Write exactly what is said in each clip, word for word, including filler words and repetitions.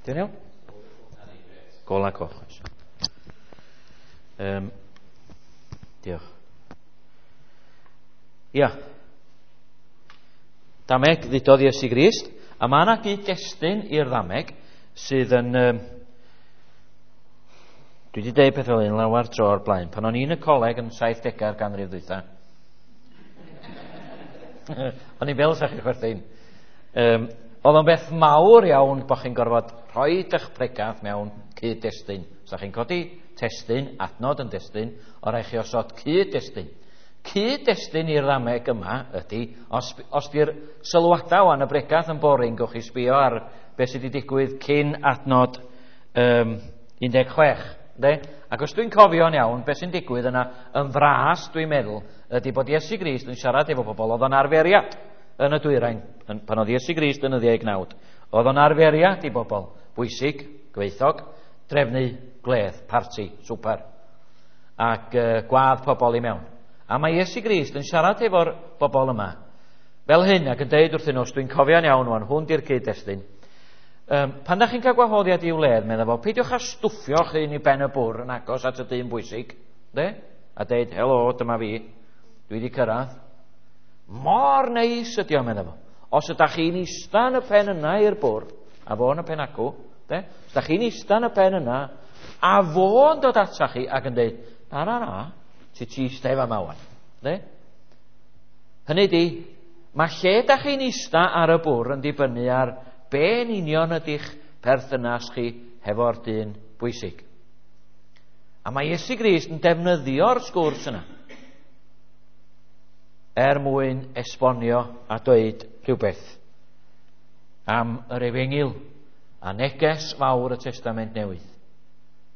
Dwi'n iawn? Gola coch. Um, diolch. Ia. Dameg ddudodd Iesu Grist, a mae yna gyd-destun i'r ddameg sydd yn... Um, dwi wedi deud peth fel un lawer tro o'r blaen. Pan o'n i'n y coleg yn saithdegau'r ganrif ddwytha, o'n i'n fel sa chi'n chwerthin. Um, oedd o'n beth mawr iawn bod chi'n gorfod rhoi eich pregath mewn cyd-destun. Sa chi'n codi testun, adnod yn destun, o rai chi osod cyd-destun. Cyd-destun i'r ddameg yma ydy, os, os di'r sylwadau wan y bregath yn boring, gewch chi sbio ar beth sydd wedi digwydd cyn adnod um, un deg chwech. De? Ac os dwi'n cofio'n iawn, beth sy'n digwydd yna yn fras, dwi'n meddwl, ydy bod Iesu Grist yn siarad efo bobl oedd o'n arferiad yn y dwyrain, yn, pan oedd Iesu Grist yn y ddiau gnawd. Oedd o'n arferiad i bobl bwysig, gweithog, drefnu gwledd, parti, swper, ac uh, gwadd pobl i mewn. A mae Iesu Grist yn siarad efo'r bobl yma fel hyn, ac yn deud wrthyn nhw, os dwi'n cofio'n iawn wan, hwn di'r cyd-destun. Um, pan da chi'n cael gwahoddiad i'w wledd, medda fo, peidiwch â stwffio chi'n i ben y bwr yn agos at y dyn bwysig, de? A deud, helo, dyma fi, dwi wedi cyrraedd. Mor neis ydi o, medda fo. Os ydach chi'n ista yn y pen yna i'r bwr, a fo yn y pen acw, de? Os ydach chi'n ista yn y pen yna, a fo'n dod atach chi ac yn deud, na, na, na, ti ti ista efo yma wan, de? Hynny di, mae lle da chi'n ista ar y bwr yn dibynnu ar be'n union ydych perthynas chi hefo'r dyn bwysig. A mae Iesu Grist yn defnyddio'r sgwrs yna er mwyn esbonio a dweud rhywbeth am yr efengyl a neges fawr y Testament Newydd.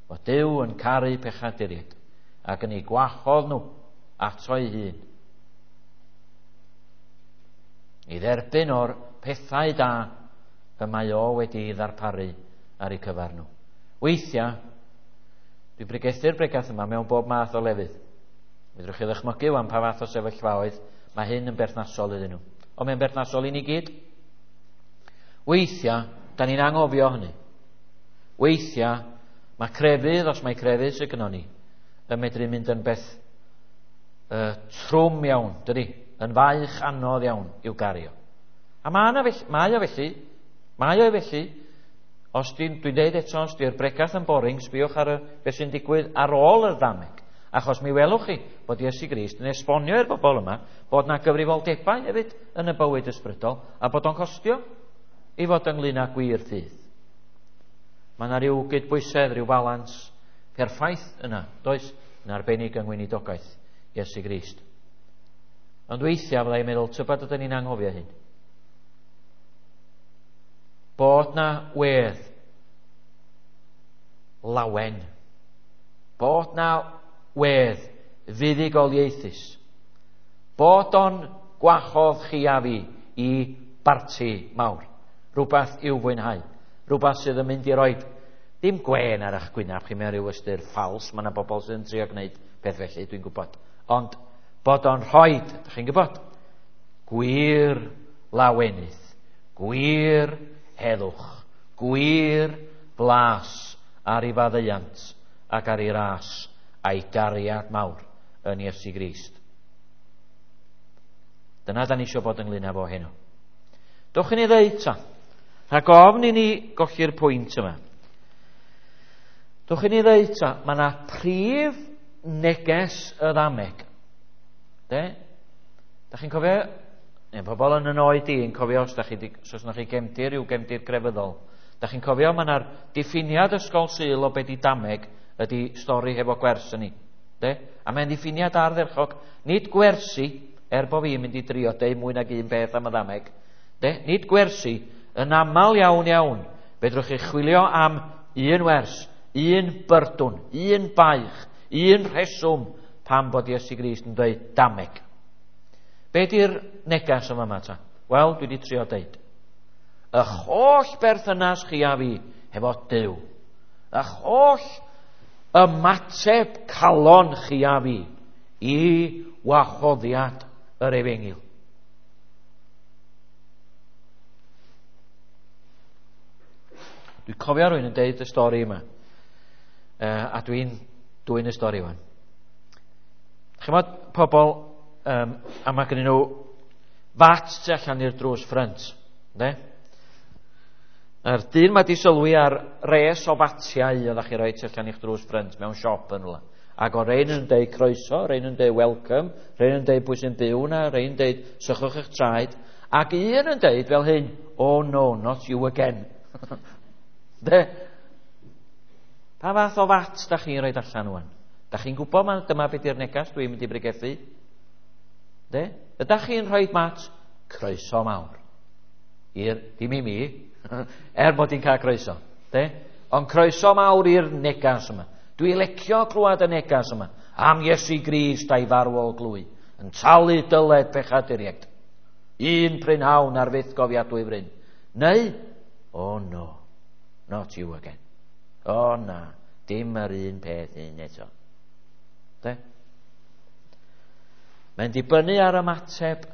Bod Duw yn caru pechaduriaid ac yn ei gwahodd nhw ato ei hun i dderbyn o'r pethau da y mae o wedi ddarparu ar eu cyfer nhw. Weithiau, dwi'n bregethu'r bregath yma mewn bob math o lefydd. Fedrwch chi ddychmygu wan pa fath o sefyllfaoedd mae hyn yn berthnasol iddyn nhw. Ond mae'n berthnasol i ni gyd. Weithiau, da ni'n anghofio hynny. Weithiau, mae crefydd, os mae crefydd sydd gynnon ni, yn medru mynd yn beth uh, trwm iawn, dydy? Yn faich anodd iawn i'w gario. A mae yna felly, mae o felly, mae o felly, os dwi'n dwi deud eto, os di'r bregath yn boring, sbiwch ar y, beth sy'n digwydd ar ôl y ddameg. Achos mi welwch chi bod Iesu Grist yn esbonio i'r bobl yma bod na gyfrifoldebau hefyd yn y bywyd ysbrydol a bod o'n costio i fod ynglyn â gwir ffydd. Mae yna rhyw gydbwysedd, rhyw balans perffaith yna, does? Yn arbennig yng ngweinidogaeth Iesu Grist. Ond weithiau fyddai'n meddwl, tybed ydyn ni'n anghofio hyn? Bod na wedd lawen, bod na wedd fuddugoliaethus, bod o'n gwahodd chi a fi i barti mawr, rhywbeth i'w fwynhau, rhywbeth sydd yn mynd i roed ddim gwên ar eich gwynaf chi mewn rhyw ystyr ffals, mae yna bobl sydd yn trio gwneud peth felly, dwi'n gwybod, ond bod o'n rhoid, ydych chi'n gwybod, gwir lawenydd, gwir heddwch, gwir blas ar ei faddeuant ac ar ei ras a'i gariad mawr yn Iesu Grist. Dyna da ni eisiau bod ynglyn â fo heno. Dowch i ni ddeud ta, rhag ofn i ni golli'r pwynt yma. Dowch i ni ddeud ta, mae yna prif neges y ddameg. De? Da chi'n cofio? Neu pobl yn yn oed i yn cofio os da chi, os oes chi gefndir yw gefndir grefyddol. Da chi'n cofio mae yna'r diffiniad ysgol Sul o be di dameg ydy stori hefo gwers yn ni. De? A mae'n diffiniad ardderchog, nid gwersi, er bo fi'n mynd i drio deud mwy nag un beth am y ddameg. De? Nid gwersi, yn aml iawn iawn, fedrwch chi chwilio am un wers, un byrdwn, un baich, un rheswm pam bod Iesu Grist yn dweud dameg. Be di'r neges yma yma ta? Wel, dwi wedi trio deud. Ych holl berthynas chi a fi hefo Duw. Ych holl ymateb calon chi a fi i wahoddiad yr efengyl. Dwi'n cofio rhywun yn deud y stori yma. Uh, a dwi'n dwyn y stori wan. Chymod pobl, um, a mae gen nhw fat tu allan i'r drws ffrynt. Ne? A'r dyn mae di sylwi ar res o fatiau oeddech chi roi tu allan i'ch drws ffrynt mewn siop yn rhywle. Ac o rein yn deud croeso, rein yn deud welcome, rein yn deud pwy sy'n byw na, rein yn deud sychwch eich traed. Ac un yn deud fel hyn, oh no, not you again. De? Pa fath o fat da chi'n rhoi allan wan? Da chi'n gwybod ma, dyma beth yw'r negas dwi'n mynd i bregethu? De? Ydach chi'n rhoi mat? Croeso mawr. I'r, dim i mi, er bod i'n cael croeso. De? Ond croeso mawr i'r negas yma. Dwi licio clywed y negas yma. Am Iesu Grist a'i farwol glwy. Yn talu dyled pechaduriaid. Un prynhawn ar fyth gofiadwy fryn. Neu, oh no, not you again. O oh, na, dim yr un peth un eto. De? Mae'n dibynnu ar ymateb,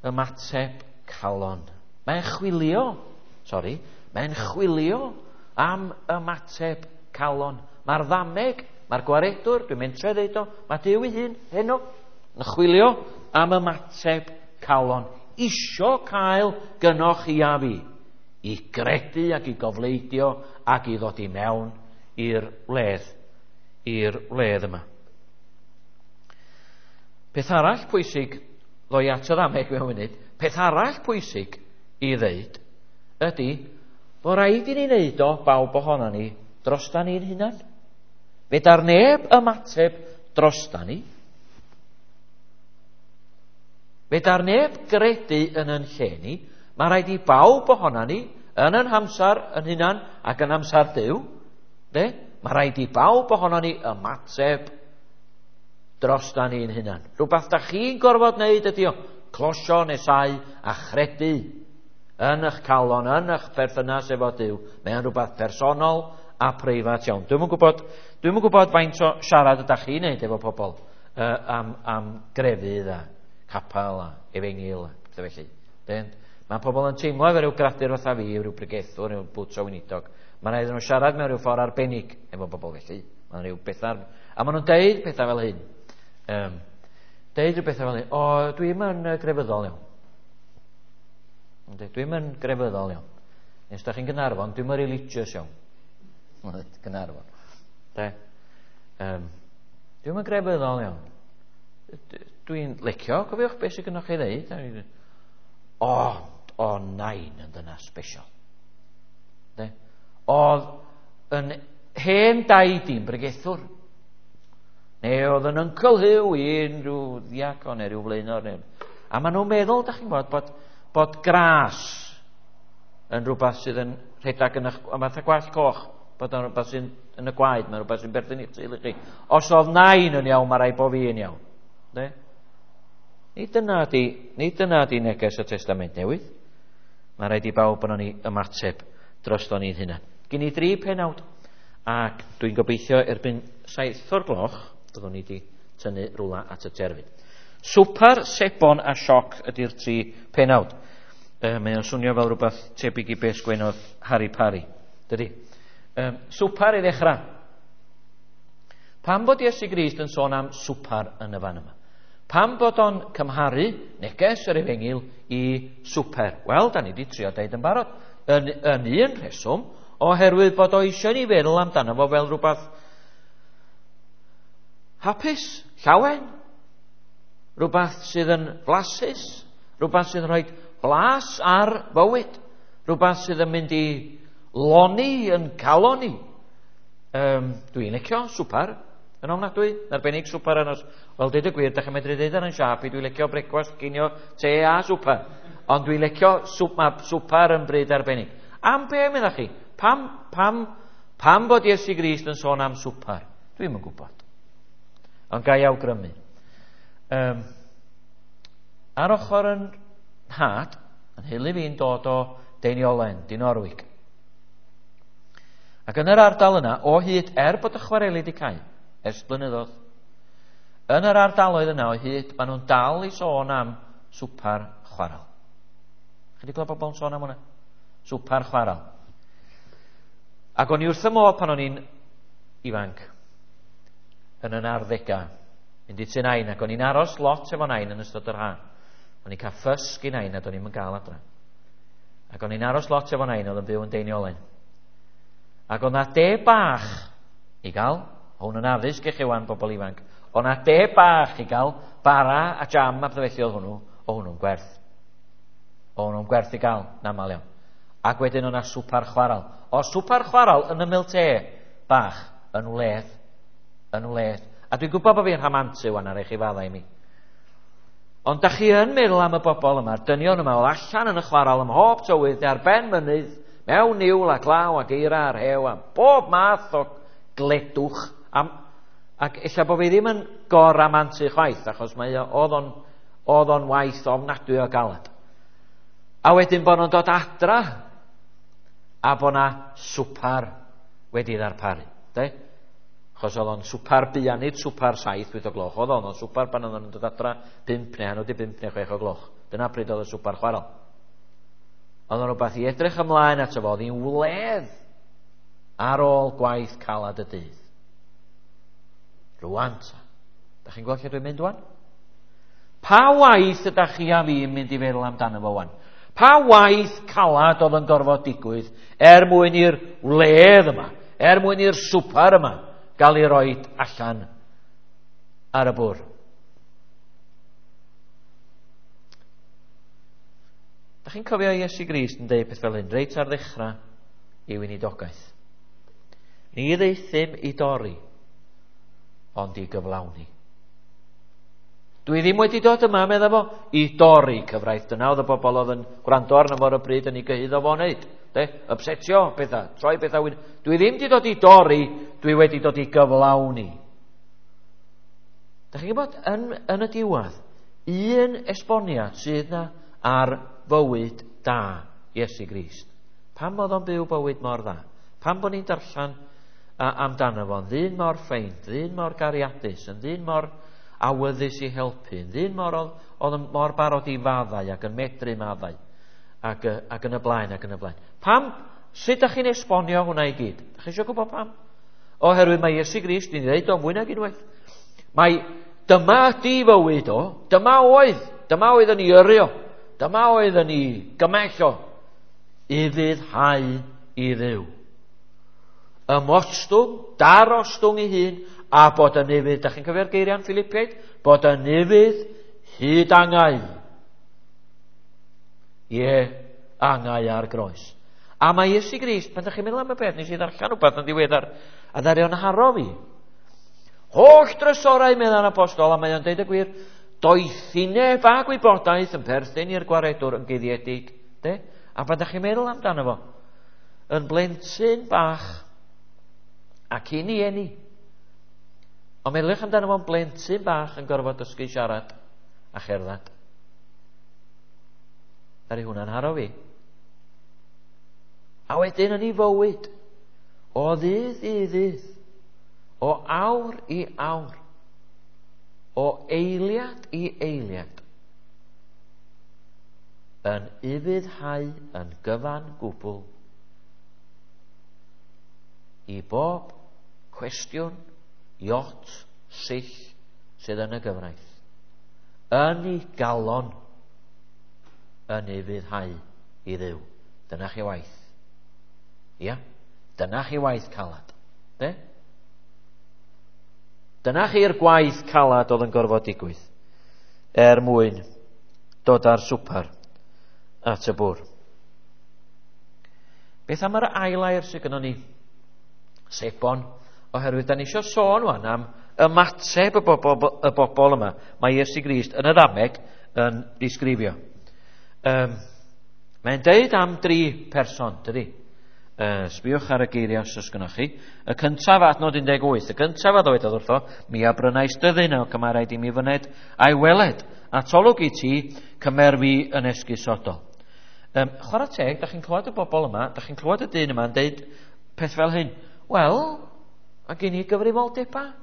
ymateb calon. Mae'n chwilio, sori, mae'n chwilio am ymateb calon. Mae'r ddameg, mae'r gwaredwr, dwi'n mentre ddeud o, mae Duw ei hun heno yn chwilio am ymateb calon. Isio cael gynoch chi a fi i gredu ac i gofleidio ac i ddod i mewn i'r wledd, i'r wledd yma. Peth arall pwysig, ddoi at y ddameg mewn munud, peth arall pwysig i ddeud ydy bod rhaid i ni wneud o, bawb ohono ni, drosta ni'n hunan. Fedar neb ymateb drosta ni. Fedar neb gredu yn yn lle ni. Mae rhaid i bawb ohono ni, yn yn hamsar yn hunan ac yn amsar Duw, de? Mae rhaid i bawb ohono ni ymateb drosta ni'n hunan. Rhywbeth da chi'n gorfod wneud ydi o, closio nesau a chredu yn eich calon, yn eich perthynas efo Duw. Mae'n rhywbeth personol a preifat iawn. Dwi'm yn gwybod, dwi'm yn gwybod faint o siarad ydych chi'n neud efo pobl uh, am, am grefydd a capel a efengyl a pethau felly. Den, mae pobl yn teimlo efo rhyw gradur fatha fi, rhyw bregethwr, rhyw bwt o weinidog. Mae'n rhaid nhw siarad mewn rhyw ffordd arbennig efo bobl felly. Mae'n rhyw bethau... A maen nhw'n deud pethau fel hyn. Um, deud rhyw bethau fel hyn. O, dwi'm yn grefyddol iawn. Dwi'm yn grefyddol iawn. Nes da chi'n Gaernarfon, dwi'm yn religious iawn. Gaernarfon. De? Um, dwi'm yn grefyddol iawn. Dwi'n licio, cofiwch beth sydd gynnwch chi ddeud. O, o nain yn dyna special. De? Oedd yn hen daid i'n bregethwr. Neu oedd yn uncle Hugh i'n rhyw ddiacon neu rhyw flaenor. Neu... A maen nhw'n meddwl, da chi'n gwybod, bod, bod gras yn rhywbeth sydd yn rhedeg yn eich, fatha gwallt coch, bod yn rhywbeth sy'n yn y gwaed, mae'n rhywbeth sy'n berthyn i'ch teulu chi. Os oedd nain yn iawn, mae rhaid bod fi yn iawn. De? Nid dyna di, nid dyna di neges y Testament Newydd. Mae rhaid i bawb yno ni ymateb drosto ni'n hunan. Gen i dri penawd, ac dwi'n gobeithio erbyn saith o'r gloch, byddwn ni wedi tynnu rwla at y terfyn. Swpar, sebon a sioc ydy'r tri penawd. E, mae o'n swnio fel rhywbeth tebyg i beth sgwennodd Harry Parry. Dydy? E, swpar i ddechrau. Pam bod Iesu Grist yn sôn am swpar yn y fan yma? Pam bod o'n cymharu neges yr efengyl i swper? Wel, da ni wedi trio deud yn barod. Yn, yn un rheswm, oherwydd bod o eisiau ni feddwl amdano fo fel rhywbeth hapus, llawen, rhywbeth sydd yn flasus, rhywbeth sydd yn rhoi blas ar fywyd, rhywbeth sydd yn mynd i loni yn calon ni. Um, dwi'n licio swper yn ofnadwy, yn arbennig swper yn os... Wel, deud y gwir, da chi'n medru deud ar yn siâp i, dwi'n licio brecwast, cinio, te a swper. Ond dwi'n licio swp, mae swper yn bryd arbennig. Am be, meddach chi? Pam, pam, pam bod Iesu Grist yn sôn am swper? Dwi'm yn gwybod. Ond ga i awgrymu. Um, ar ochr yn nhad, yn nheulu fi'n dod o Deiniolen, Dinorwig. Ac yn yr ardal yna, o hyd, er bod y chwareli wedi cau, ers blynyddoedd, yn yr ardaloedd yna o hyd, maen nhw'n dal i sôn am swpar chwaral. Chi wedi clywed bobl yn sôn am hwnna? Swpar chwaral. Ac o'n i wrth y modd pan o'n i'n ifanc, yn yn arddegau, mynd i tŷ nain, ac o'n i'n aros lot efo nain yn ystod yr ha. O'n i'n cael ffys gin nain a do'n i'm yn gael adra. Ac o'n i'n aros lot efo nain oedd yn byw yn Deiniolen. Ac oedd 'na de bach i gael, hwn yn addysg i chi wan bobl ifanc, oedd 'na de bach i gael, bara a jam a pethau felly oedd hwnnw, o hwnnw'n gwerth. O hwnnw'n gwerth i gael, yn aml iawn. Ac wedyn oedd 'na swpar chwaral. O swpar chwaral yn ymyl te bach yn wledd. Yn wledd. A dwi'n gwybod bod fi'n rhamantu wan ar eich i faddau i mi. Ond da chi yn meddwl am y bobl yma, dynion yma, oedd allan yn y chwaral ym mhob tywydd, ar ben mynydd, mewn niwl a glaw ac eira a rhew, a bob math o gledwch. Am, ac ella bod fi ddim yn goramantu chwaith, achos mae o, oedd o'n, oedd o'n waith ofnadwy o galed. A wedyn bod nhw'n dod adra, a bod na swpar wedi ddarparu. De? Achos oedd o'n swpar buan, nid swpar saith, wyth o gloch. Oedd o'n swpar pan oedd o'n dod adra pump neu hanner di bump neu chwech o gloch. Dyna pryd oedd y swpar chwaral. Oedd o'n rhywbeth i edrych ymlaen ato fo, oedd hi'n wledd ar ôl gwaith calad y dydd. Rwan ta. Da chi'n gweld lle dwi'n mynd wan? Pa waith ydych chi a fi'n mynd i feddwl amdano fo wan? Pa waith calad oedd yn gorfod digwydd er mwyn i'r wledd yma, er mwyn i'r swpar yma gael ei roid allan ar y bwrdd? Da chi'n cofio Iesu Grist yn deud peth fel hyn, reit ar ddechrau ei weinidogaeth. Ni ddaethum i dorri, ond i gyflawni. Dwi ddim wedi dod yma, medda fo, i dorri cyfraith. Dyna oedd y bobl oedd yn gwrando arno fo ar y bryd yn ei gyhuddo fo'n neud. De? Upsetio pethau, troi pethau. Dwi ddim wedi dod i dorri, dwi wedi dod i gyflawni. Da chi'n gwybod, yn, yn y diwedd, un esboniad sydd na ar fywyd da Iesu Grist. Pam oedd o'n byw bywyd mor dda? Pam bod ni'n darllen amdano fo'n ddyn mor ffeind, ddyn mor gariadus, yn ddyn mor awyddus i helpu, yn ddyn mor oedd, oedd yn mor barod i faddau ac yn medru maddau ac, ac yn y blaen ac yn y blaen. Pam, sut ydych chi'n esbonio hwnna i gyd? Ydych chi eisiau gwybod pam? Oherwydd mae Iesu Grist, ni'n dweud o mwy nag unwaith. Mae dyma ydi fywyd o, dyma oedd, dyma oedd yn ei yrru o, dyma oedd yn ei gymell o, i ufuddhau i Dduw. Ymostwng, darostwng ei hun, a bod yn ufudd, da chi'n cofio'r geiriau yn Philippiaid? Bod yn ufudd hyd angau. Ie, angau ar groes. A mae Iesu Grist, pan da chi'n meddwl am y peth, nes i ddarllen rhywbeth yn ddiweddar, a ddaru o'n haro fi. Holl drysorau, meddai'r apostol, a mae o'n deud y gwir, doethineb a gwybodaeth yn perthyn i'r gwaredwr yn guddiedig. De? A pan da chi'n meddwl amdano fo, yn blentyn bach, ac cyn i eni, ond meddyliwch amdano fo'n blentyn bach yn gorfod dysgu siarad a cherdded. Ddaru hwnna'n haro fi. A wedyn yn ei fywyd, o ddydd i ddydd, o awr i awr, o eiliad i eiliad, yn ufuddhau yn gyfan gwbl i bob cwestiwn, iot, sill sydd yn y gyfraith. Yn ei galon, yn ufuddhau i Dduw. Dyna chi waith. Ia, dyna chi waith calad. De? Dyna chi'r gwaith calad oedd yn gorfod digwydd er mwyn dod â'r swpar at y bwrdd. Beth am yr ail air sydd gynnon ni? Sebon, oherwydd da ni eisiau sôn wan am ymateb y bobl, y bobl yma. Mae Iesu Grist yn y ddameg yn disgrifio. Um, mae'n deud am dri person, dydi? Uh, sbiwch ar y geiriau os oes gynnoch chi. Y cyntaf, adnod un deg wyth, y cyntaf a ddywedodd wrtho, mi a brynais dyddyn ac y mae rhaid i mi fyned a'i weled, atolwg i ti, cymer fi yn esgusodol. Um, chwarae teg, da chi'n clywed y bobl yma, da chi'n clywed y dyn yma yn deud peth fel hyn. Wel, mae gen i gyfrifoldebau.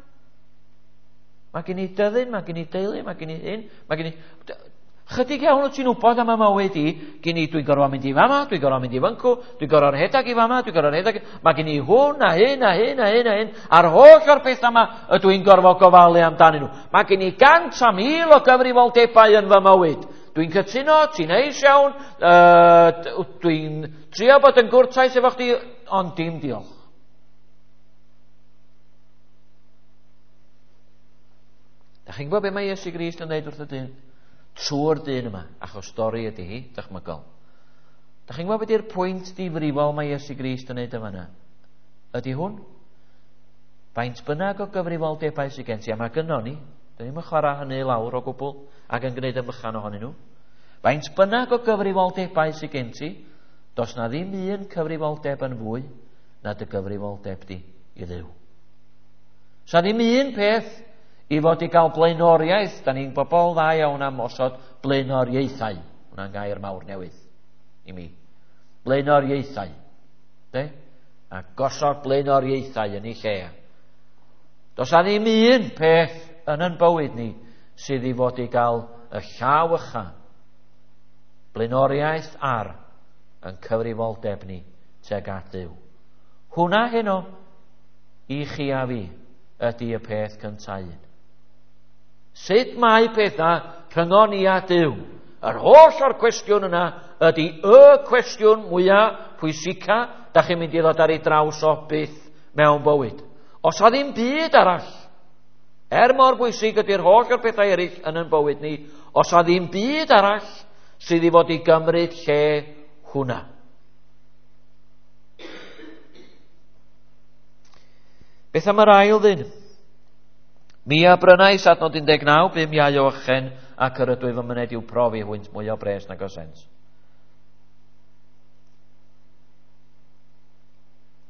Mae gen i dyddyn, mae gen i deulu, mae gen i hyn, mae gen i... Chydig iawn wyt ti'n wybod am y mywyd i, gen i dwi'n gorfod mynd i fama, dwi'n gorfod mynd i fyncw, dwi'n gorfod rhedeg i fama, dwi'n gorfod rhedeg. Mae gen i hwn a hyn a hyn a hyn a hyn, a'r holl o'r pethau yma ydw i'n gorfod gofalu amdanyn nhw. Mae gen i gant a mil o gyfrifoldebau yn fy mywyd. Dwi'n cytuno, ti'n neis iawn, uh, dwi'n trio bod yn gwrtais efo chdi, ond dim diolch. Da chi'n gwybod beth mae Iesu Grist yn dweud wrth y dyn? Trwy'r dyn yma, achos stori ydy hi, dychmygol. Da chi'n gwybod beth yw'r pwynt difrifol mae Iesu Grist yn neud yma yna? Ydy hwn? Faint bynnag o gyfrifoldebau sydd gen ti, a mae gynnon ni, dyn ni'm yn chwarae hynny lawr o gwbl ac yn gwneud yn bychan ohonyn nhw. Faint bynnag o gyfrifoldebau sydd gen ti, does na ddim un cyfrifoldeb yn fwy na dy gyfrifoldeb di i Dduw. Sa ddim un peth i fod i gael blaenoriaeth, da ni'n bobl dda iawn am osod blaenoriaethau. Hwna'n gair mawr newydd i mi. Blaenoriaethau. De? A gosod blaenoriaethau yn ei lle. Does na ddim un peth yn yn bywyd ni sydd i fod i gael y llaw ycha. Blaenoriaeth ar yn cyfrifoldeb ni tuag at Dduw. Hwna heno i chi a fi ydy y peth cyntaf un. Sut mae pethau rhyngon ni a Duw? Yr holl o'r cwestiwn yna ydy y cwestiwn mwyaf pwysica da chi'n mynd i ddod ar ei draws o byth mewn bywyd. Os a ddim byd arall, er mor bwysig ydy'r holl o'r pethau eraill yn yn bywyd ni, os a ddim byd arall sydd i fod i gymryd lle hwnna. Beth am yr ail ddyn? Mi a brynais adnod un deg naw, bum iau o ychen, ac yr ydwyf yn myned i'w profi hwynt mwy o bres nag o sens.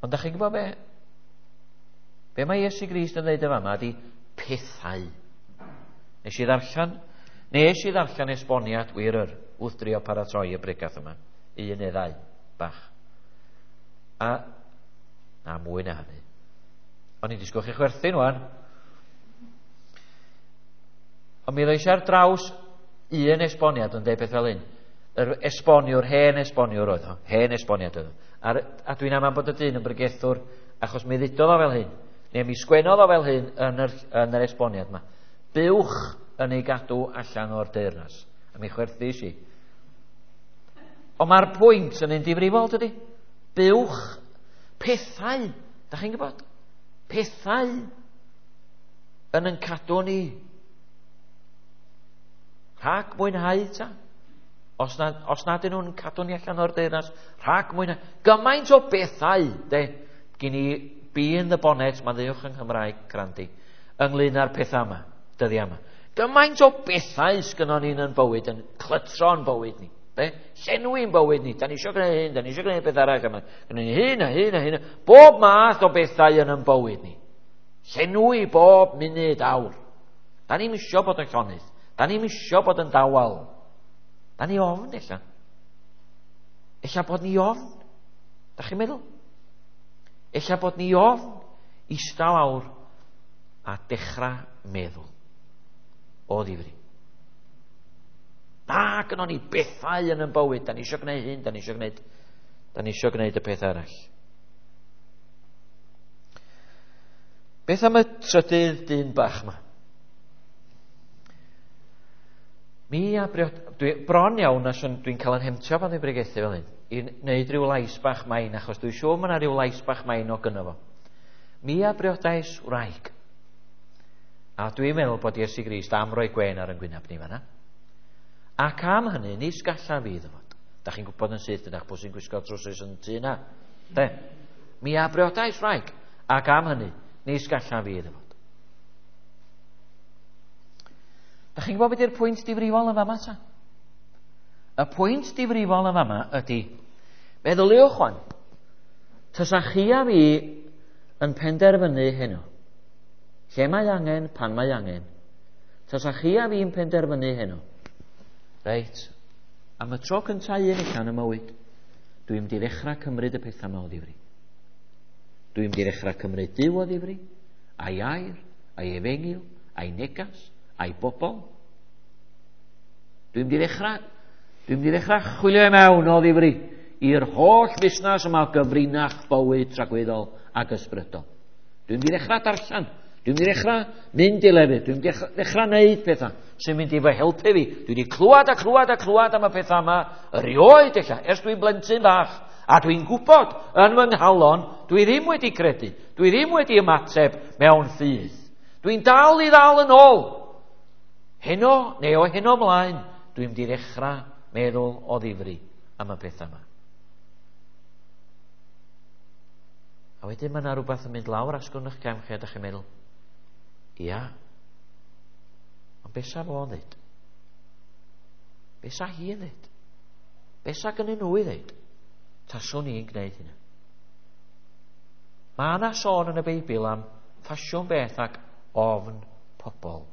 Ond da chi'n gwybod be? Be mae Iesu Grist yn dweud y fama ydy pethau. Nes i ddarllen, nes i ddarllen esboniad wir yr wrth drio paratoi y bregath yma. Un neu ddau, bach. A, a mwy na hynny. O'n i'n disgwyl chi chwerthin wan. Ond mi ddois ar draws un esboniad yn deud beth fel un. Yr esboniwr, hen esboniwr oedd o. Hen esboniad oedd o. A, a dwi'n amau bod y dyn yn bregethwr achos mi ddudodd o fel hyn. Neu mi sgwennodd o fel hyn yn yr, yn yr esboniad yma. Buwch yn ei gadw allan o'r deyrnas. A mi chwerthis i. Ond mae'r pwynt yn un difrifol, dydy? Buwch, pethau, da chi'n gwybod? Pethau yn yn cadw ni. Rhag mwynhau ta. Os na, os nad ydyn nhw'n cadw ni allan o'r deyrnas, rhag mwynhau. Gymaint o bethau, de, gen i bee in the bonnet, mae'n ddiwch yng Nghymraeg, crandi, ynglyn â'r pethau yma, dyddiau yma. Gymaint o bethau sgynnon ni'n yn bywyd, yn clytro'n bywyd ni. De? Llenwi'n bywyd ni. Da ni eisiau gwneud hyn, da ni eisiau gwneud beth arall yma. Gwneud hyn a hyn a hyn. Bob math o bethau yn yn bywyd ni. Llenwi bob munud awr. Da ni'n isio bod yn llonydd. Da ni'n isio bod yn dawel. Da ni ofn, ella. Ella bod ni ofn. Da chi'n meddwl? Ella bod ni ofn ista lawr a dechrau meddwl. O ddifri. Na, gynnon ni bethau yn yn bywyd. Da ni eisiau gwneud hyn, da ni eisiau gwneud, da ni eisiau gwneud y peth arall. Beth am y trydydd dyn bach yma? Mi a briod, dwi, bron iawn, a dwi'n cael yn hemtio pan dwi'n bregethu fel hyn, i wneud rhyw lais bach main, achos dwi'n siŵr mae yna rhyw lais bach main o gynno fo. Mi a briodais wraig. A dwi'n meddwl bod Iesu Grist am roi gwên ar yn gwyneb ni fanna. Ac am hynny, nis gallaf fi iddo fod. Da chi'n gwybod yn syth ydych pwy sy'n gwisgo trowsus yn tŷ na. De? Mi a briodais wraig. Ac am hynny, nis gallaf fi iddo fod. Da chi'n gwybod beth yw'r pwynt difrifol yn fama ta? Y pwynt difrifol yn fama ydy, meddyliwch wan, tysa chi a fi yn penderfynu heno, lle mae angen, pan mae angen, tysa chi a fi'n penderfynu heno, reit, am y tro cyntaf un allan y mywyd, dwi'n mynd i ddechrau cymryd y pethau yma o ddifri. Dwi'n mynd i ddechrau cymryd Duw o ddifri, a'i air, a'i efengyl, a'i negas, a'i bobl. Dwi'n mynd i ddechrau, dwi'n mynd i ddechrau chwilio i mewn o ddifri i'r holl fusnes yma o gyfrinach bywyd tragwyddol ac ysbrydol. Dwi'n mynd i ddechrau darllen. Dwi'n mynd i ddechrau mynd i lefydd. Dwi'n mynd i ddechrau neud pethau sy'n mynd i fy helpu fi. Dwi wedi clywed a clywed a clywed am y pethau yma erioed ella, ers dwi'n blentyn bach. A dwi'n gwybod yn fy nghalon, dwi ddim wedi credu. Dwi ddim wedi ymateb mewn ffydd. Dwi'n dal i ddal yn ôl. Heno, neu o heno ymlaen, dwi'n mynd i ddechrau meddwl o ddifri am y pethau yma. A wedyn mae yna rhywbeth yn mynd lawr asgwrn eich cefn chi a dych chi'n meddwl, ia, ond be sa fo'n ddeud? Be sa hi'n ddeud? Be sa gynnyn nhw i ddeud? Taswn i'n gwneud hynna. Mae yna sôn yn y Beibl am ffasiwn beth ac ofn pobl,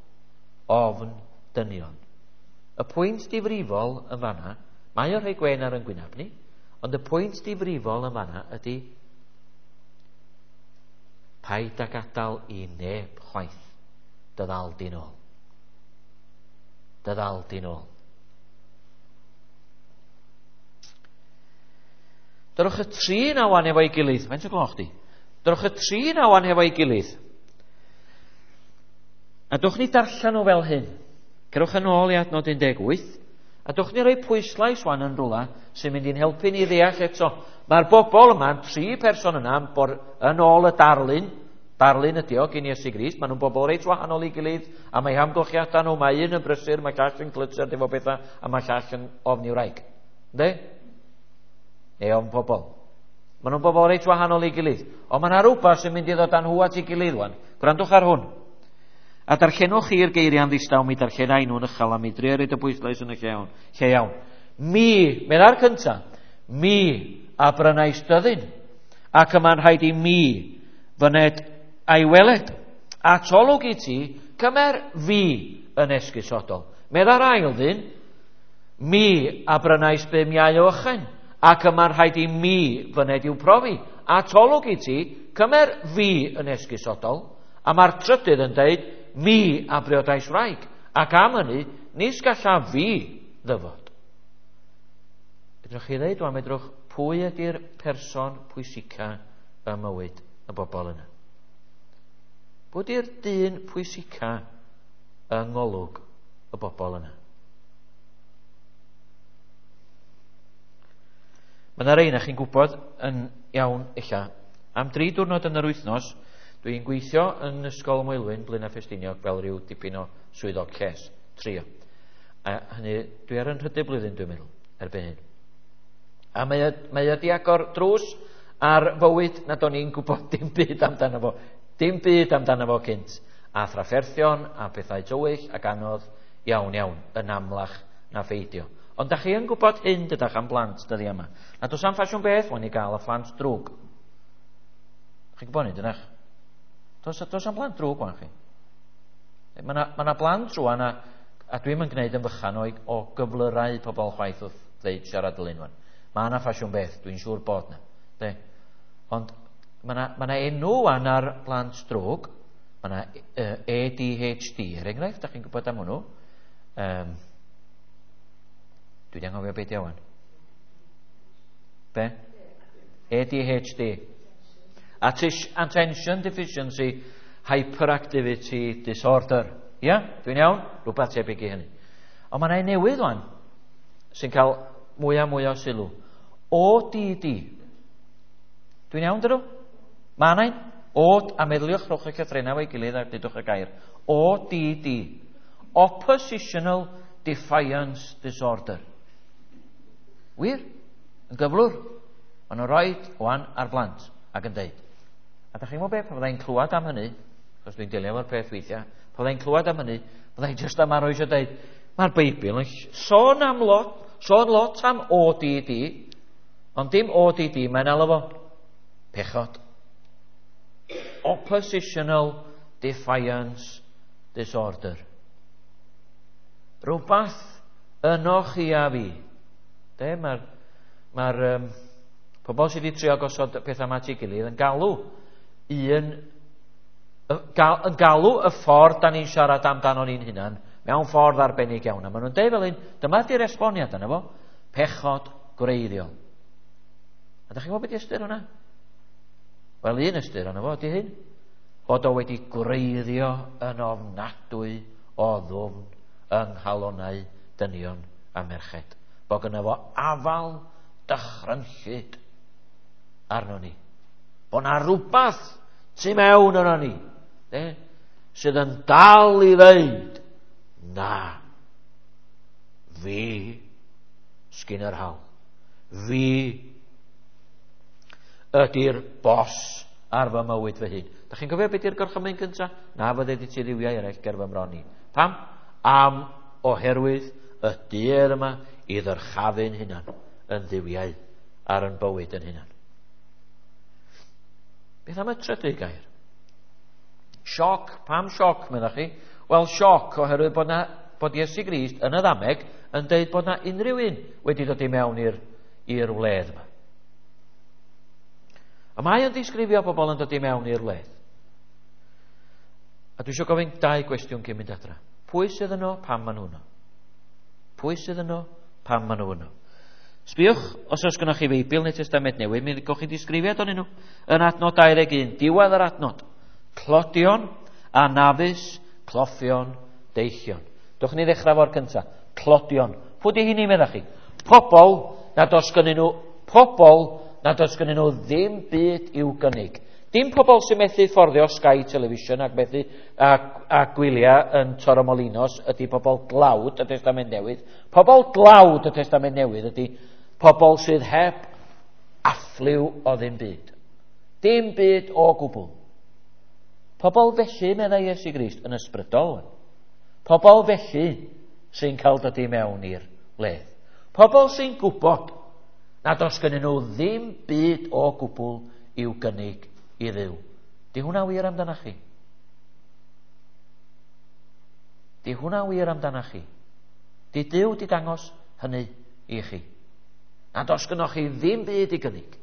ofn dynion. Y pwynt difrifol yn fanna, mae o'n rhoi gwen ar yn gwynab ni, ond y pwynt difrifol yn fanna ydy paid â gadael i neb chwaith dy ddal di'n ôl. Dy ddal di'n ôl. Dyrwch y tri na wan efo'i gilydd. Faint o gloch di? Dyrwch y tri na wan efo'i gilydd. A dwch ni darllen nhw fel hyn. Cerwch yn ôl i adnod un deg wyth. A dwch ni roi pwyslais wan yn rhywle sy'n mynd i'n helpu ni ddeall eto. Mae'r bobl yma, tri person yna, yn ôl y darlun, darlun ydi o gyn Iesu Grist, maen nhw'n bobl reit wahanol i gilydd, a mae hamgylchiadau nhw, mae un yn brysur, mae llall yn glytser efo bethau, a mae llall yn ofni wraig. Ynddi? Neu ofn pobl. Maen nhw'n bobl reit wahanol i gilydd. Ond mae yna rhywbeth sy'n mynd i ddod â nhw at ei gilydd wan. Gwrandwch ar hwn. A darllenwch chi'r geiriau'n ddistaw, mi darllenai nhw'n uchel, a mi drio roid y bwyslais yn y lle iawn. Lle iawn. Mi, medda'r cyntaf, mi a brynais dyddyn, ac yma'n rhaid i mi fyned a'i weled. Atolwg i ti, cymer fi yn esgusodol. Medda'r ail ddyn, mi a brynais bum iau o ychen, ac yma'n rhaid i mi fyned i'w profi. Atolwg i ti, cymer fi yn esgusodol. A mae'r trydydd yn deud, mi a briodais wraig, ac am hynny, nis gallaf fi ddyfod. Fedrwch chi ddeud, wan, fedrwch, pwy ydy'r person pwysica ym mywyd y bobl yna? Pwy ydy'r dyn pwysica yng ngolwg y bobl yna? Mae yna rei na chi'n gwybod yn iawn ella. Am dri diwrnod yn yr wythnos, dwi'n gweithio yn Ysgol Moelwyn, Blaenau Ffestiniog, fel rhyw dipyn o swyddog lles, trio. A hynny, dwi ar yn nhrydydd blwyddyn, dwi'n meddwl, erbyn hyn. A mae o, mae o di agor drws ar fywyd nad o'n i'n gwybod dim byd amdano fo. Dim byd amdano fo cynt. A thrafferthion, a pethau tywyll, ac anodd iawn iawn, yn amlach na pheidio. Ond da chi yn gwybod hyn dydach am blant dyddia yma. Na does am ffasiwn beth, wan i gael y phlant drwg. Chi'n gwybod hyn, dydach? Does, does am blant drwg wan chi. Mae yna ma blant rwan, a, a dwi'm yn gwneud yn fychan o, o gyflyrau pobl chwaith wrth ddeud siarad dylun wan. Mae yna ffasiwn beth, dwi'n siŵr bod na. De? Ond mae yna ma enw wan ar blant drwg. Mae yna A D H D, er enghraifft, da chi'n gwybod am hwnnw. Um, dwi wedi anghofio beth iawn. Be? A D H D. Attention Deficiency Hyperactivity Disorder. Ia? Yeah? Dwi'n iawn? Rhywbeth tebyg i hynny. Ond mae yna newydd wan sy'n cael mwy a mwy o sylw. O D D. Dwi'n iawn, dydw? Mae yna un. O, a meddyliwch rhowch y llythrennau efo'i gilydd a dudwch y gair. O D D. Oppositional Defiance Disorder. Wir? Yn gyflwr. Maen nhw'n rhoi wan ar blant ac yn deud. A da chi'n gwybod beth, pan fyddai'n clywed am hynny, achos dwi'n delio efo'r peth weithiau, pan fyddai'n clywed am hynny, fyddai'n jyst am arw eisiau deud, mae'r Beibl yn sôn am lot, sôn lot am O D D, ond dim O D D, mae'n alw fo pechod. Oppositional Defiance Disorder. Rhywbeth yno chi a fi. De, mae'r mae'r um, pobl sydd wedi trio gosod pethau yma at ei gilydd yn galw un, gal, yn galw y ffordd da ni'n siarad amdano ni'n hunan Mewn ffordd arbennig iawn. A maen nhw'n deud fel hyn, dyma di'r esboniad yna fo, pechod gwreiddiol. A da chi'n gwybod beth ystyr hwnna? Wel, un ystyr yna fo, ydy hyn. Bod o wedi gwreiddio yn ofnadwy o ddwfn yng nghalonnau dynion a merched. Bod gynno fo afal dychrynllyd arno ni. Bod na rhywbeth tu mewn yno ni, de, sydd yn dal i ddeud, na, fi sgyn yr hawl. Fi ydy'r bos ar fy mywyd fy hun. Da chi'n cofio beth yw'r gorchymyn cyntaf? Na fydde di ti dduwiau eraill ger fy mron i. Pam? Am oherwydd y duedd yma i ddyrchafu'n hunan yn dduwiau ar yn bywyd yn hunan. Beth am y trydydd gair? Sioc. Pam sioc, meddach chi? Wel, sioc oherwydd bod, na, bod Iesu Grist yn y ddameg yn deud bod na unrhyw un wedi dod i mewn i'r i'r wledd yma. A mae o'n disgrifio pobl yn dod i mewn i'r wledd. A dwi eisiau gofyn dau gwestiwn cyn mynd adra. Pwy sydd yno, pam maen nhw yno? Pwy sydd yno, pam maen nhw yno? Sbiwch, os oes gennych chi Feibl neu Testament Newydd, mi gewch chi disgrifiad ohonyn nhw. Yn adnod dau ddeg un, diwedd yr adnod. Tlodion, anafus, cloffion, deillion. Dwch ni ddechrau fo'r cyntaf. Tlodion. Pwy di hynny, meddach chi? Pobl nad oes gynnyn nhw, pobl nad oes gynnyn nhw ddim byd i'w gynnig. Dim pobl sy'n methu fforddio Sky Television ac methu a, a gwyliau yn Torremolinos ydy pobl dlawd y Testament Newydd. Pobl dlawd y Testament Newydd ydy pobl sydd heb affliw o ddim byd. Dim byd o gwbl. Pobl felly, meddai Iesu Grist, yn ysbrydol. Pobl felly sy'n cael dod i mewn i'r wledd. Pobl sy'n gwybod nad oes gynnyn nhw ddim byd o gwbl i'w gynnig i Dduw. Di hwnna wir amdana chi? Di hwnna wir amdana chi? Di Duw di dangos hynny i chi? Nad oes gynnoch chi ddim byd i gynnig.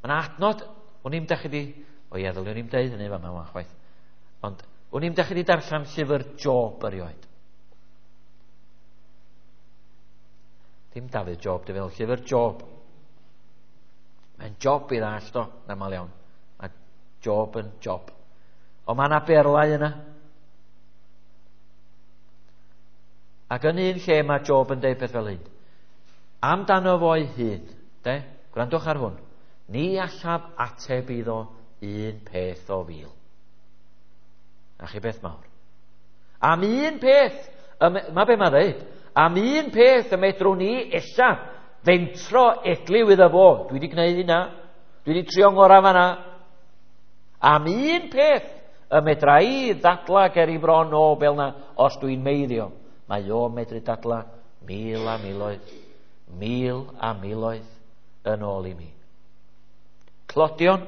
Mae yna adnod, o'n i'm dach chi di, o ie, ddylwn i'm deud hynny fama wan chwaith, ond o'n i'm dach chi di darllen llyfr Job erioed. Dim Dafydd Job, dwi'n feddwl, llyfr Job. Mae'n job i ddallt o, yn aml iawn. Mae Job yn job. Ond mae yna berlau yna. Ac yn un lle mae Job yn deud peth fel hyn. Amdano fo'i hun, de? Gwrandwch ar hwn. Ni allaf ateb iddo un peth o fil. A chi beth mawr. Am un peth, mae be mae'n dweud, am un peth y medrwn ni ella fentro edliw iddo fo. Dwi wedi gwneud hynna. Dwi wedi trio ngorau fanna. Am un peth y medra i ddadla ger i bron o fel na os dwi'n meiddio. Mae o medru dadla mil a miloedd, mil a miloedd yn ôl i mi. Tlodion,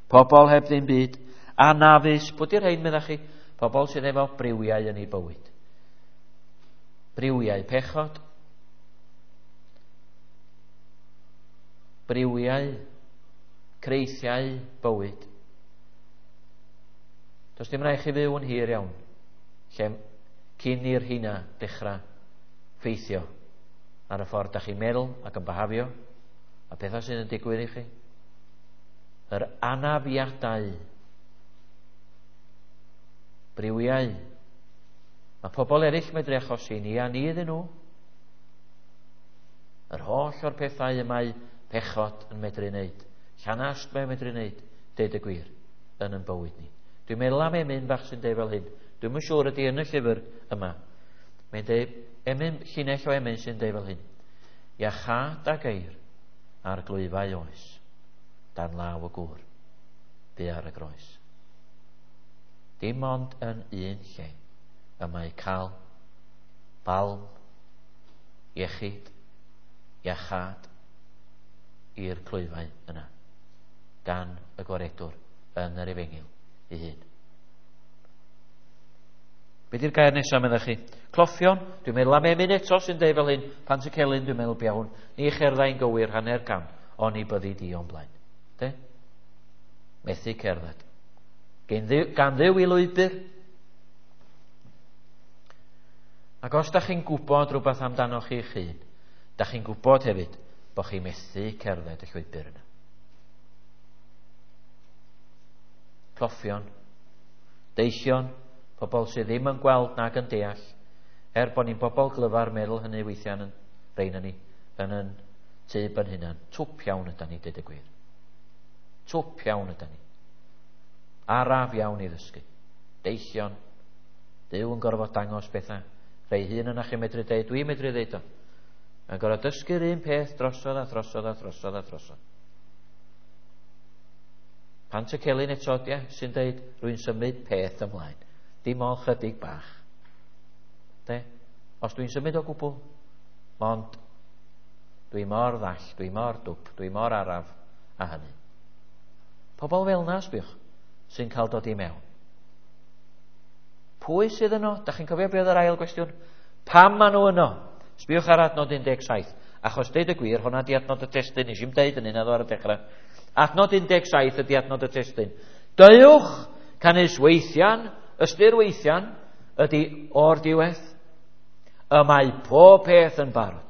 pobl heb ddim byd, anafus, pwy di'r rhain meddach chi? Pobl sydd efo briwiau yn eu bywyd. Briwiau pechod, briwiau, creithiau bywyd. Does dim rhaid chi fyw yn hir iawn, lle cyn i'r hynna dechrau ffeithio ar y ffordd da chi'n meddwl ac yn behafio, a pethau sydd yn digwydd i chi. Yr anafiadau, briwiau. Mae pobl eraill medru achosi ni a ni iddyn nhw. Yr holl o'r pethau y mae pechod yn medru wneud, llanast mae'n medru wneud, deud y gwir, yn yn bywyd ni. Dwi'n meddwl am emyn bach sy'n deud fel hyn. Dwi'm yn siŵr ydy yn y llyfr yma. Mae'n deud, emyn, llinell o emyn sy'n deud fel hyn. Iachâd a geir ar glwyfau oes, dan law y gŵr, bu ar y groes. Dim ond yn un lle y mae cael balm, iechyd, iachâd i'r clwyfau yna, gan y gwaredwr yn yr efengyl ei hun. Be di'r gair nesaf, meddach chi? Cloffion, dwi'n meddwl am emyn eto sy'n deud fel hyn, Pantycelyn, dwi'n meddwl bia hwn, ni cherddai'n gywir hanner cam, oni byddi di o'n blaen. De? Methu cerdded. Gan Dduw, gan Dduw i lwybr, Ac os da chi'n gwybod rhywbeth amdano chi'ch hun, da chi'n gwybod hefyd bod chi'n methu cerdded y llwybr yna. Cloffion, deillion, pobl sydd ddim yn gweld nag yn deall, er bod ni'n bobl glyfar meddwl hynny weithiau yn reina ni, yn yn tyb yn hunan. Twp iawn ydan ni, dweud y gwir. Twp iawn ydan ni. Araf iawn i ddysgu. Deillion, Duw yn gorfod dangos bethau. Rhai hun yna chi'n medru deud, dwi'n medru deud o. Mae'n gorfod dysgu'r un peth drosodd a drosodd a drosodd a drosodd. Pant y celyn eto, ia, sy'n deud, rwy'n symud peth ymlaen. Dim ond chydig bach. De? Os dwi'n symud o gwbl, mond dwi mor ddall, dwi mor dwp, dwi mor araf a hynny. Pobl fel na, sbiwch, sy'n cael dod i mewn. Pwy sydd yno? Da chi'n cofio beth oedd yr ail gwestiwn? Pam maen nhw yno? Sbiwch ar adnod un deg saith. Achos deud y gwir, hwnna di adnod y testun, nes i'm deud yn un ar y dechrau. Adnod un deg saith ydi adnod y testun. Deuwch, canys weithian, ystyr weithian, ydi o'r diwedd. Y mae pob peth yn barod.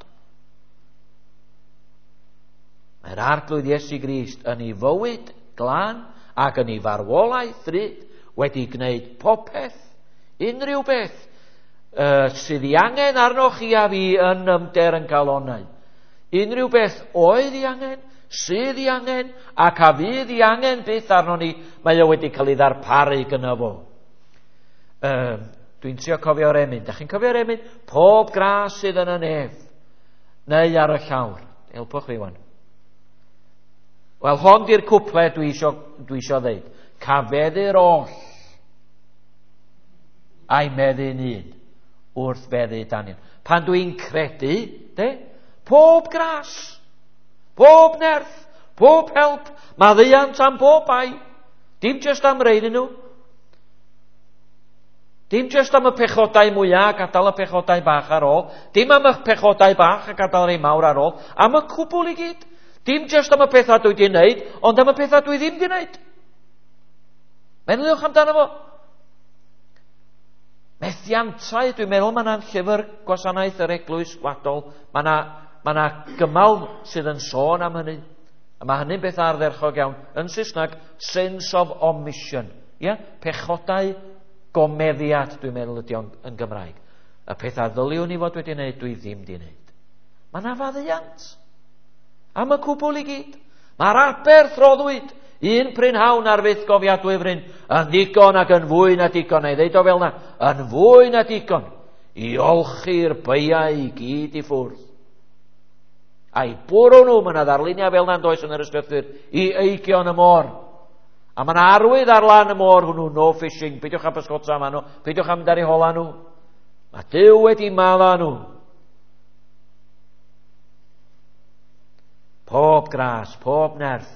Mae'r Arglwydd Iesu Grist yn ei fywyd glân ac yn ei farwolaeth ddrud wedi gwneud popeth, unrhyw beth uh, sydd ei angen arnoch chi a fi yn ymder yn calonnau. Unrhyw beth oedd ei angen, sydd ei angen, ac a fydd ei angen byth arno ni, mae o wedi cael ei ddarparu gyda fo. Um, dwi'n trio cofio'r emyn. Da chi'n cofio'r emyn? Pob gras sydd yn y nef, neu ar y llawr. Helpwch fi wan. Wel, hon di'r cwple dwi isio, dwi isio ddeud. Cafeddu'r oll a'i meddu'n un wrth feddu Daniel. Pan dwi'n credu, de, pob gras, pob nerth, pob help, maddeuant am bob bai. Dim jyst am rein nhw. Dim jyst am y pechodau mwyaf a gadael y pechodau bach ar ôl. Dim am y pechodau bach a gadael rei mawr ar ôl. Am y cwbl i gyd. Dim jyst am y pethau dwi wedi wneud, ond am y pethau dwi ddim wedi wneud. Meddyliwch amdano fo. Methiantau, dwi'n meddwl mae yna'n llyfr gwasanaeth yr eglwys wladol. Mae yna, mae yna gymal sydd yn sôn am hynny. A mae hynny'n beth ardderchog iawn. Yn Saesneg, sins of omission. Ia? Pechodau gomeddiad, dwi'n meddwl ydy o'n yn Gymraeg. Y pethau ddyliwn i fod wedi wneud, dwi ddim wedi wneud. Mae yna faddeuant am y cwbl i gyd. Mae'r aberth roddwyd un prynhawn ar fyth gofiadwy fryn yn ddigon ac yn fwy na digon. Neu ddeud o fel na, yn fwy na digon i olchi'r beiau i gyd i ffwrdd. A'i bwrw nhw, mae yna ddarluniau fel na'n does yn yr ysgrythur, i eigion y môr. A mae yna arwydd ar lan y môr hwnnw, no fishing, peidiwch â pysgota yma nhw, peidiwch â mynd ar eu hola nhw. Mae Duw wedi madda nhw. Pob gras, pob nerth.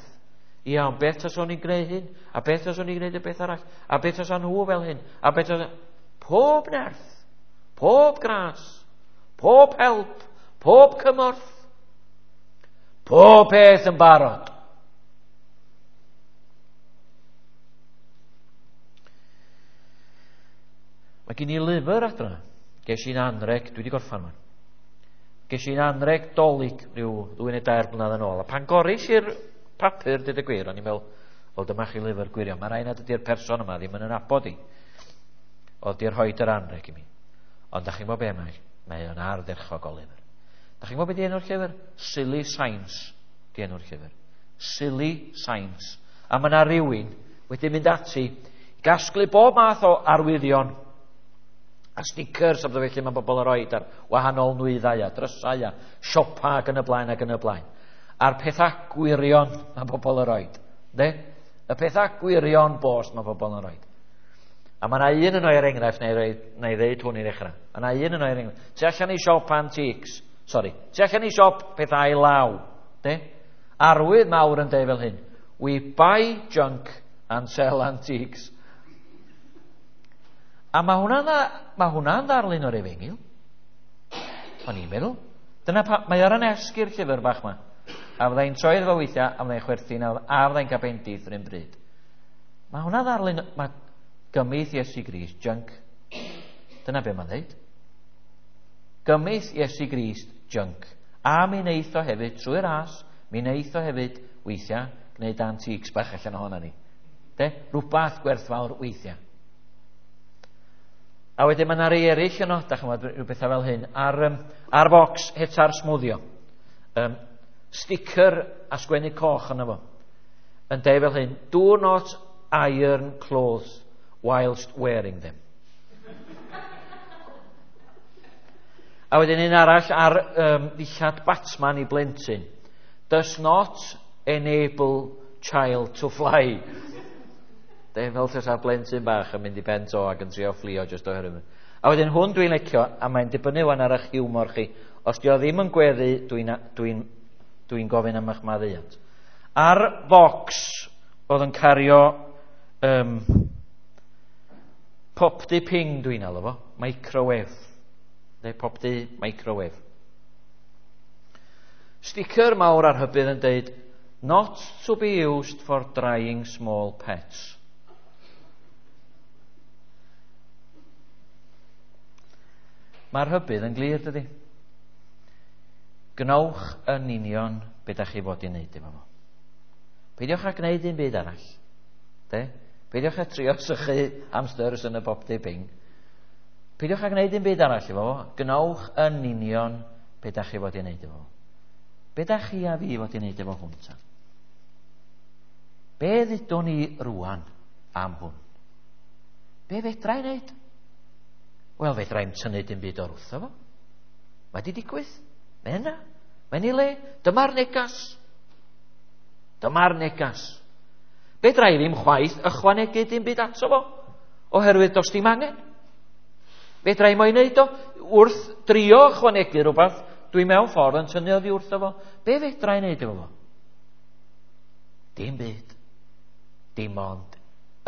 Ia, ond beth tas o'n i'n gwneud hyn? A beth tas o'n i'n gwneud y beth arall? A beth tas nhw fel hyn? A beth tas... Pob nerth, pob gras, pob help, pob cymorth, pob peth yn barod. Mae gen i lyfr adra. Ges i'n anreg, dwi wedi gorffan man. Ges i'n anreg dolig rhyw ddwy neu dair blynedd yn ôl. A pan goris i'r papur, dweud y gwir, o'n i'n meddwl, wel dyma chi lyfr gwirion. Mae rhaid nad ydy'r person yma ddim yn yn nabod i. Oedd di'r rhoid yr anreg i mi. Ond da chi'n gwybod be mae? Mae o'n ardderchog o lyfr. Da chi'n gwybod be di enw'r llyfr? Silly Science di enw'r llyfr. Silly Science. A mae yna rhywun wedi mynd ati i gasglu bob math o arwyddion a stickers a bydde felly mae bobl yn rhoi ar wahanol nwyddau a drysau a siopa ac yn y blaen ac yn y blaen. A'r pethau gwirion mae bobl yn rhoi. De? Y pethau gwirion bost mae bobl yn rhoi. A mae yna un yno er enghraifft, neu, neu ddeud hwn i ddechrau. Mae yna un yno er enghraifft. Tu allan i siop antiques, sorry, tu allan i siop pethau law. De? Arwydd mawr yn deud fel hyn. We buy junk and sell antiques. A mae hwnna'n mae hwnna'n ddarlun o'r efengyl. O'n i'n meddwl. Dyna pa, mae ar yn esg i'r llyfr bach ma. A fyddai'n troi iddo fo weithiau, a fyddai'n chwerthin, a fyddai'n cael bendith yr un bryd. Mae hwnna'n ddarlun, mae gymith Iesu Grist, junk. Dyna be mae'n dweud. Gymith Iesu Grist junk. A mi wneith o hefyd, trwy'r as, mi wneith o hefyd, weithiau, gwneud antiques bach allan ohono ni. De? Rhywbeth gwerthfawr weithiau. A wedyn mae yna rei eraill yno, da chi'n gwybod, rhyw bethau fel hyn, ar, um, ar bocs hetar smwddio. Um, sticker a sgwennu coch yno fo. Yn deud fel hyn, do not iron clothes whilst wearing them. A wedyn un arall ar um, ddillad Batman i blentyn. Does not enable child to fly. De, fel tasa'r blentyn bach yn mynd i ben to ac yn trio fflio jyst oherwydd. A wedyn hwn dwi'n licio, a mae'n dibynnu wan ar eich hiwmor chi. Os di o ddim yn gweddu, dwi'n dwi dwi gofyn am eich maddeuant. Ar bocs oedd yn cario um, popty ping dwi'n alw fo, microwave. Neu popty microwave. Sticker mawr ar hybydd yn deud, not to be used for drying small pets. Mae'r hybydd yn glir, dydy. Gwnewch yn union be da chi fod i wneud efo fo. Peidiwch â gwneud un byd arall. De? Peidiwch â trio sychu hamsters yn y popty ping. Peidiwch â gwneud un byd arall efo fo. Gwnewch yn union be da chi fod i wneud efo fo. Be da chi a fi fod i wneud efo hwn ta? Be ddudwn ni rwan am hwn? Be fedra i wneud? Wel, fedra i'm tynnu dim byd o'r wrtho fo. Mae di digwydd. Mae yna. Mae'n ei le. Dyma'r negas. Dyma'r negas. Fedra i ddim chwaith ychwanegu dim byd ato fo, oherwydd does dim angen. Fedra i mo'i wneud o. Wrth drio ychwanegu rhywbeth, dwi mewn ffordd yn tynnu oddi wrtho fo. Be fedra i wneud efo fo? Dim byd. Dim ond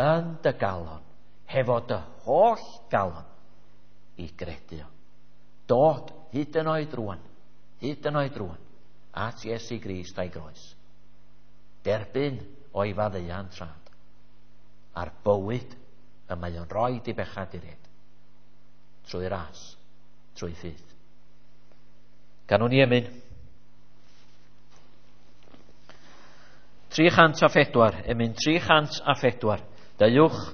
yn dy galon, hefo dy holl galon, i gredu o. Dod hyd yn oed rwan, hyd yn oed rwan, at Iesu Grist a'i groes. Derbyn o'i faddeuant rhad, a'r bywyd y mae o'n rhoi i bechaduriaid, trwy ras, trwy ffydd. Ganwn ni emyn. tri chant a phedwar, emyn tri chant a phedwar. Deuwch